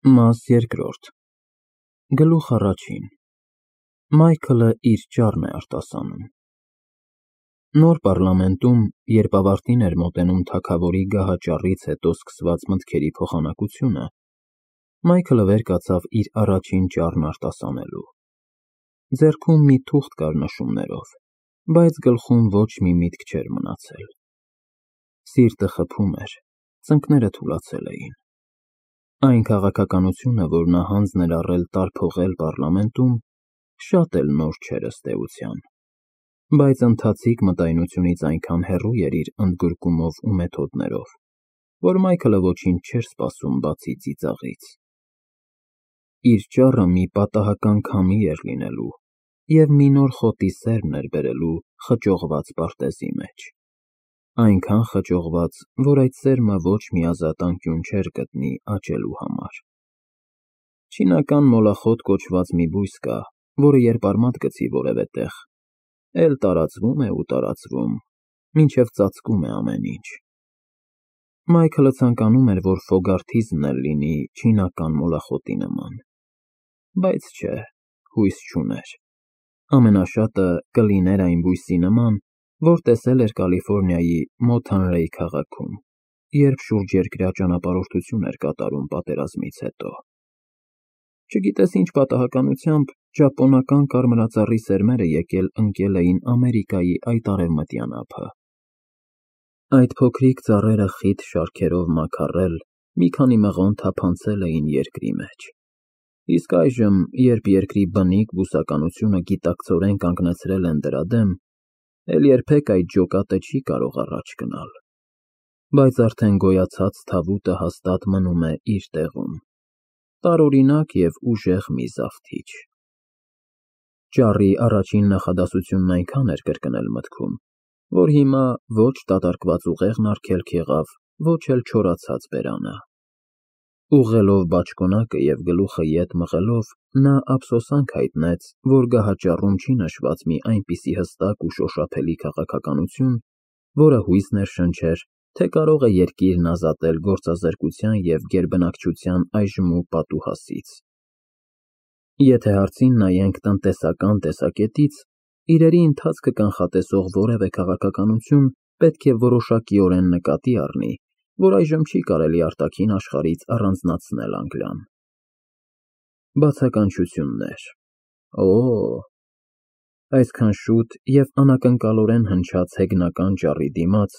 Մաս երկրորդ Գլուխ առաջին Մայքլը իր ճառն է արտասանում։ Նոր պառլամենտում, երբ ավարտին էր մոտենում թագավորի գահաճառից հետո սկսված մտքերի փոխանակությունը, Մայքլը վեր կացավ իր առաջին ճառն արտասանելու։ Ձեռքում մի թուղթ կար նշումներով, բայց գլխում ոչ մի միտք չէր մնացել։ Սիրտը խփում էր, ծնկները թուլացել էին։ Այն քաղաքականությունը, որ նա հանձն էր առել տարփոխել պառլամենտում, շատ էլ նոր չէր ըստ էության, բայց ընթացիկ մտայնությունից այնքան հեռու էր իր ընդգրկումով ու մեթոդներով, որ Մայքլը ոչինչ չէր սպասում բացի ծիծաղից։ Իր ճառը մի պատահական քամի էր լինելու և մի նոր խոտի սերմ էր բերելու խճողված պարտեզի մեջ, այնքան խճողված, որ այդ սերմը ոչ մի ազատ անկյուն չէր գտնի աճելու համար։ Չինական մոլախոտ կոչված մի բույս կա, որը երբ արմատ գցի որևէ տեղ, էլ տարածվում է ու տարածվում, մինչև ծածկում է ամեն ինչ։ Մայքլը ցանկանում էր, որ Ֆոգարթիզմն էլ լինի չինական մոլախոտի նման, բայց չէ, հույս չուներ։ Ամենաշատը կլիներ այն բույսի նման, որ տեսել էր Կալիֆոռնիայի Մոթանրեյ քաղաքում, երբ շուրջերկրյա ճանապարհորդություն էր կատարում պատերազմից հետո։ Չգիտես ինչ պատահականությամբ, ճապոնական կարմրածառի սերմերը եկել ընկել էին Ամերիկայի այդ արևմտյան ափը։ Այդ փոքրիկ ծառերը խիտ շարքերով մաքարել, մի քանի մղոն թափանցել էին երկրի մեջ։ Իսկ այժմ, երբ երկրի բնիկ բուսականությունը գիտակցորեն կանգնեցրել են դրա դեմ, էլ երբեք այդ ջոկատը չի կարող առաջ գնալ, բայց արդեն գոյացած թավուտը հաստատ մնում է իր տեղում, տարօրինակ և ուժեղ մի զավթիչ։ Ճառի առաջին նախադասությունն այնքան էր կրկնել մտքում, որ հիմա ոչ դատարկված ուղեղն արգելք եղավ, ոչ էլ չորացած բերանը։ Ուղղելով բաճկոնակը և գլուխը ետ մղելով, նա ափսոսանք հայտնեց, որ գահաճառում չի նշված մի այնպիսի հստակ ու շոշափելի քաղաքականություն, որը հույս ներշնչեր, թե կարող է երկիրն ազատել գործազրկության և գերբնակչության այժմ ու պատուհասից։ Եթե հարցին նայենք տնտեսական տեսակետից, իրերի ընթացքը կանխատեսող որևէ քաղաքականություն պետք է որոշակիորեն նկատի առնի, որ այժմ չի կարելի արտաքին աշխարհից առանձնացնել Անգլիան։ Բացականչություններ։ Օ՜, այսքան շուտ և անակնկալորեն հնչած հեգնական ճառի դիմաց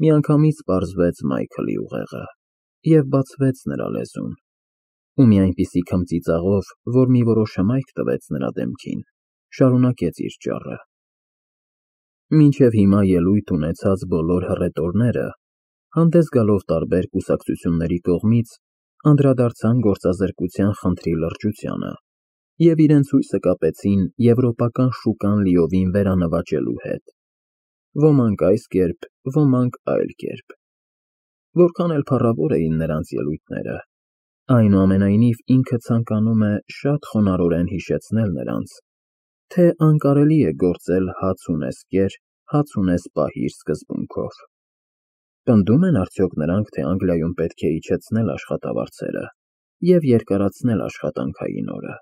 միանգամից պարզվեց Մայքլի ուղեղը և բացվեց նրա լեզուն, ու մի այնպիսի քմծիծաղով, որ մի որոշ հմայք տվեց նրա դեմքին, շարունակեց իր ճառը։ Մինչև հիմա ելույթ ունեցած բոլոր հռետորները, հանդես գալով տարբեր կուսակցությունների կողմից, անդրադարձան գործազրկության խնդրի լրջությանը և իրենց հույսը կապեցին եվրոպական շուկան լիովին վերանվաճելու հետ, ոմանք այս կերպ, ոմանք այլ կերպ։ Որքան էլ փառավոր էին նրանց ելույթները, այնուամենայնիվ ինքը ցանկանում է շատ խոնարհորեն հիշեցնել նրանց, թե անկարելի է գործել հաց ունես կեր, հաց ունես պահիր սկզբունքով։ Պնդում են արդյոք նրանք, թե Անգլիայում պետք է իջեցնել աշխատավարձերը և երկարացնել աշխատանքային օրը,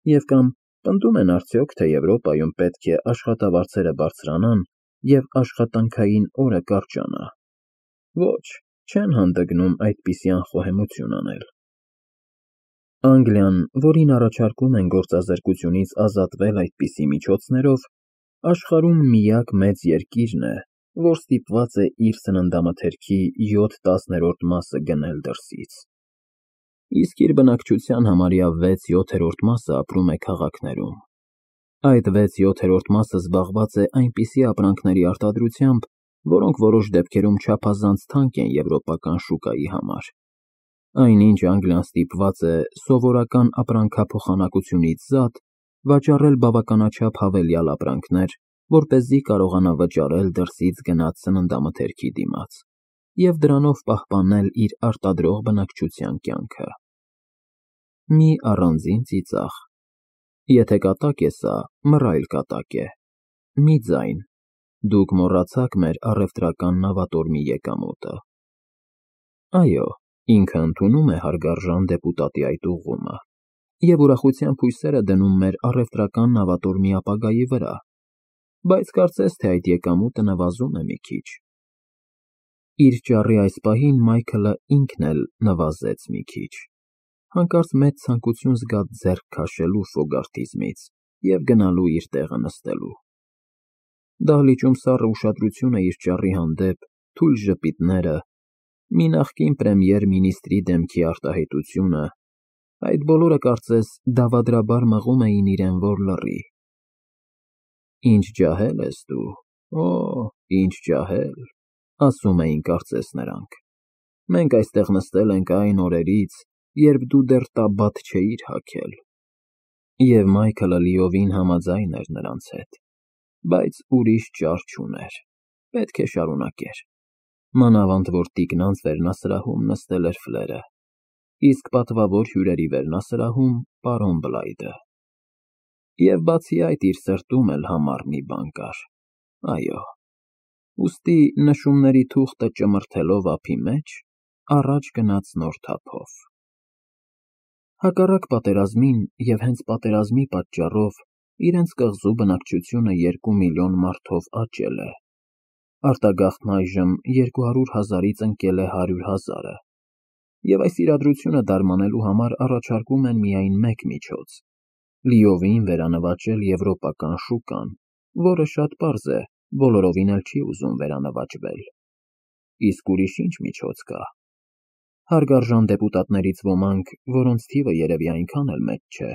և կամ պնդում են արդյոք, թե Եվրոպայում պետք է աշխատավարձերը բարձրանան և աշխատանքային օրը կարճանա։ Ոչ, չեն հանդգնում այդպիսի անխոհեմություն անել։ Անգլիան, որին առաջարկում են գործազրկությունից ազատվել այդպիսի միջոցներով, աշխարհում միակ մեծ երկիրն է, որ ստիպված է իր սննդամթերքի 7/10 մասը գնել դրսից, իսկ իր բնակչության համարյա 6/7 մասը ապրում է քաղաքներում։ Այդ 6/7 մասը զբաղված է այնպիսի ապրանքների արտադրությամբ, որոնք որոշ դեպքերում չափազանց թանկ են եվրոպական շուկայի համար։ Այնինչ Անգլիան ստիպված է սովորական ապրանքափոխանակությունից զատ վաճառել բավականաչափ հավելյալ ապրանքներ, որպեսզի կարողանա վճարել դրսից գնած սննդամթերքի դիմաց և դրանով պահպանել իր արտադրող բնակչության կյանքը։ Մի առանձին ծիծաղ։ Եթե կատակ է սա, մռայլ կատակ է։ Մի ձայն։ Դուք մոռացաք մեր առևտրական նավատորմի եկամուտը։ Այո, Ինքը ընդունում է հարգարժան դեպուտատի այդ ուղղումը և ուրախությամբ հույսերը դնում մեր առևտրական նավատորմի ապագայի վրա, բայց կարծես թե այդ եկամուտը նվազում է մի քիչ։ Իր ճառի այս պահին Մայքլը ինքն էլ նվազեց մի քիչ, հանկարծ մեծ ցանկություն զգաց ձեռք քաշելու Ֆոգարթիզմից և գնալու իր տեղը նստելու։ Դահլիճում սառը ուշադրությունը իր ճառի հանդեպ, թույլ ժպիտները, մի նախկին պրեմիեր֊մինիստրի դեմքի արտահայտությունը, այդ բոլորը կարծես դավադրաբար մղում էին իրեն, որ լռի։ «Ինչ ջահել ես դու, օ, ինչ ջահել», ասում էին կարծես նրանք։ «Մենք այստեղ նստել ենք այն օրերից, երբ դու դեռ տաբատ չէիր հագել»։ Եվ Մայքլը լիովին համաձայն էր նրանց հետ, բայց ուրիշ ճար չուներ, պետք է շարունակեր, մանավանդ որ տիկնանց վերնասրահում նստել էր Ֆլերը, իսկ պատվավոր հյուրերի վերնասրահում պարոն Բլայդը։ Եվ բացի այդ իր սրտում էլ համառ մի բան կար, այո, ուստի նշումների թուղթը ճմրթելով ափի մեջ, առաջ գնաց նոր թափով։ Հակառակ պատերազմին և հենց պատերազմի պատճառով իրենց կղզու բնակչությունը 2 միլիոն մարդով աճել է, արտագաղթն այժմ 200,000-ից ընկել է 100,000-ը, և այս իրադրությունը դարմանելու համար առաջարկում են միայն մեկ միջոց՝ լիովին վերանվաճել եվրոպական շուկան, որը շատ պարզ է, բոլորովին էլ չի ուզում վերանվաճվել։ Իսկ ուրիշ ինչ միջոց կա։ Հարգարժան դեպուտատներից ոմանք, որոնց թիվը երևի այնքան էլ մեծ չէ,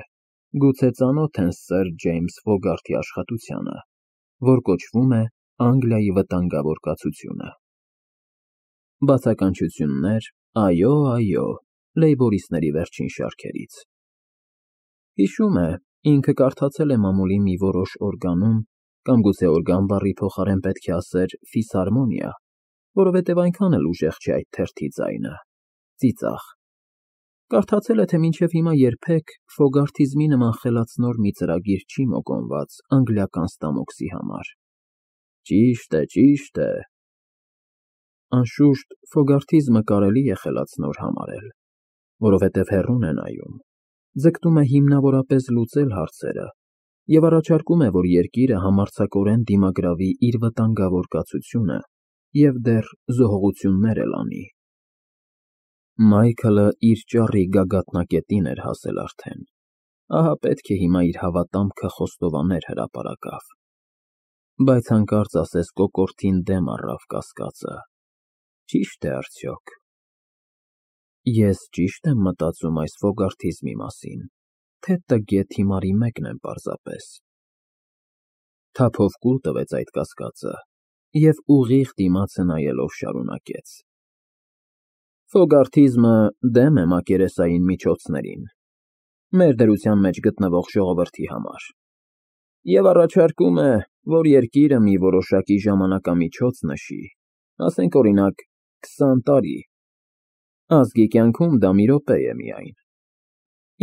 գուցե ծանոթ են սըր Ջեյմս Ֆոգարթի աշխատությանը, որ կոչվում է Անգլիայի վտանգավոր կացությունը։ Բացականչություններ, այո, այո, լեյբորիստների վերջին շարքերից։ Հիշում է, ինքը կարդացել է մամուլի մի որոշ օրգանում, կամ գուցե օրգան բառի փոխարեն պետք է ասեր ֆիսարմոնիա, որովհետև այնքան էլ ուժեղ չէ այդ թերթի ձայնը, ծիծաղ։ Կարդացել է, թե մինչև հիմա երբեք Ֆոգարթիզմի նման խելացնոր մի ծրագիր չի մոգոնված անգլիական ստամոքսի համար։ Ճիշտ է, ճիշտ է։ Անշուշտ, Ֆոգարթիզմը կարելի է խելացնոր համարել, որովհետև հեռուն է նայում, ձգտում է հիմնավորապես լուծել հարցերը և առաջարկում է, որ երկիրը համարձակորեն դիմագրավի իր վտանգավոր կացությունը և դեռ զոհողություններ էլ անի։ Մայքլը իր ճառի գագաթնակետին էր հասել արդեն, ահա պետք է հիմա իր հավատամքը խոստովաներ հրապարակավ։ Բայց հանկարծ ասես կոկորդին դեմ առավ կասկածը. ճի՞շտ է արդյոք։ Ես ճի՞շտ եմ մտածում այս Ֆոգարթիզմի մասին, թե տգետ հիմարի մեկն եմ պարզապես։ Թափով կուլ տվեց այդ կասկածը և ուղիղ դիմացը նայելով շարունակեց. Ֆոգարթիզմը դեմ է մակերեսային միջոցներին, մեր դրության մեջ գտնվող ժողովրդի համար, և առաջարկում է, որ երկիրը մի որոշակի ժամանակամիջոց նշի, ասենք օրինակ 20 տարի, ազգի կյանքում դա մի րոպե է միայն,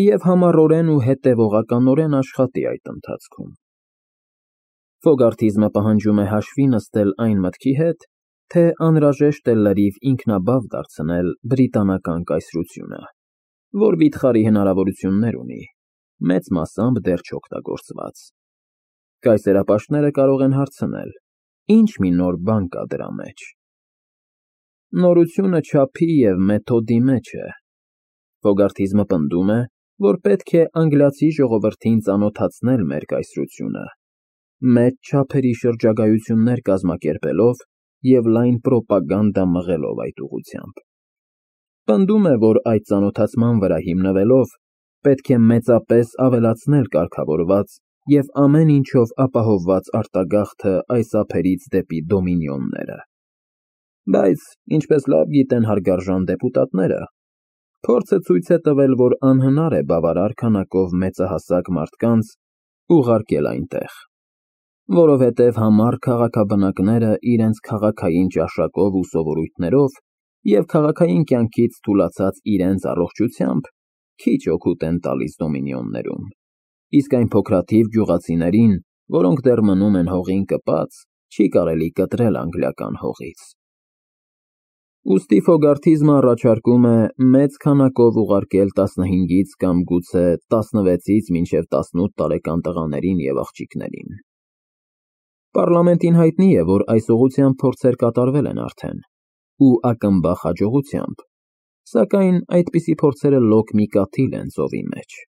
և համառորեն ու հետևողականորեն աշխատի այդ ընթացքում։ Ֆոգարթիզմը պահանջում է հաշվի նստել այն մտքի հետ, թե անհրաժեշտ է լրիվ ինքնաբավ դարձնել բրիտանական կայսրությունը, որ վիթխարի հնարավորություններ ունի, մեծ մասամբ դեռ չօգտագործված։ Կայսերապաշտները կարող են հարցնել. ինչ մի նոր բան կա դրա մեջ։ Նորությունը չափի և մեթոդի մեջ է։ Ֆոգարթիզմը պնդում է, որ պետք է անգլիացի ժողովրդին ծանոթացնել մեր կայսրությունը, մեծ չափերի շրջագայություններ կազմակերպելով և լայն պրոպագանդա մղելով այդ ուղղությամբ։ Պնդում է, որ այդ ծանոթացման վրա հիմնվելով պետք է մեծապես ավելացնել կարգավորված և ամեն ինչով ապահովված արտագաղթը այս ափերից դեպի դոմինիոնները։ Բայց, ինչպես լավ գիտեն հարգարժան դեպուտատները, փորձը ցույց է տվել, որ անհնար է բավարար քանակով մեծահասակ մարդկանց ուղարկել այնտեղ, որովհետև համառ քաղաքաբնակները իրենց քաղաքային ճաշակով ու սովորույթներով և քաղաքային կյանքից թուլացած իրենց առողջությամբ քիչ օգուտ են տալիս դոմինիոններում, իսկ այն փոքրաթիվ գյուղացիներին, որոնք դեռ մնում են հողին կպած, չի կարելի կտրել անգլիական հողից։ Ուստի Ֆոգարթիզմը առաջարկում է մեծ քանակով ուղարկել 15-ից կամ գուցե 16-ից մինչև 18 տարեկան տղաներին և աղջիկներին։ Պառլամենտին հայտնի է, որ այս ուղղությամբ փորձեր կատարվել են արդեն, ու ակնբախ հաջողությամբ, սակայն այդպիսի փորձերը լոկ մի կաթիլ են ծովի մեջ։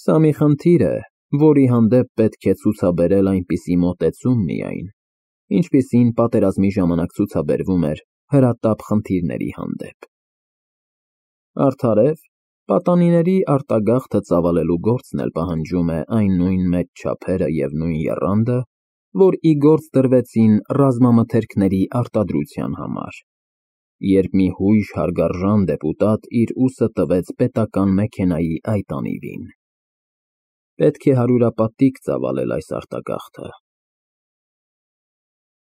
Սա մի խնդիր է, որի հանդեպ պետք է ցուցաբերել այնպիսի մոտեցում միայն, ինչպիսին պատերազմի ժամանակ ցուցաբերվում էր հրատապ խնդիրների հանդեպ։ Արդարև, պատանիների արտագաղթը ծավալելու գործն էլ պահանջում է այն նույն մեծ չափերը և նույն եռանդը, որ ի գործ դրվեցին ռազմամթերքների արտադրության համար, երբ մի հույժ հարգարժան դեպուտատ իր ուսը տվեց պետական մեքենայի այդ անիվին։ Պետք է հարյուրապատիկ ծավալել այս արտագաղթը,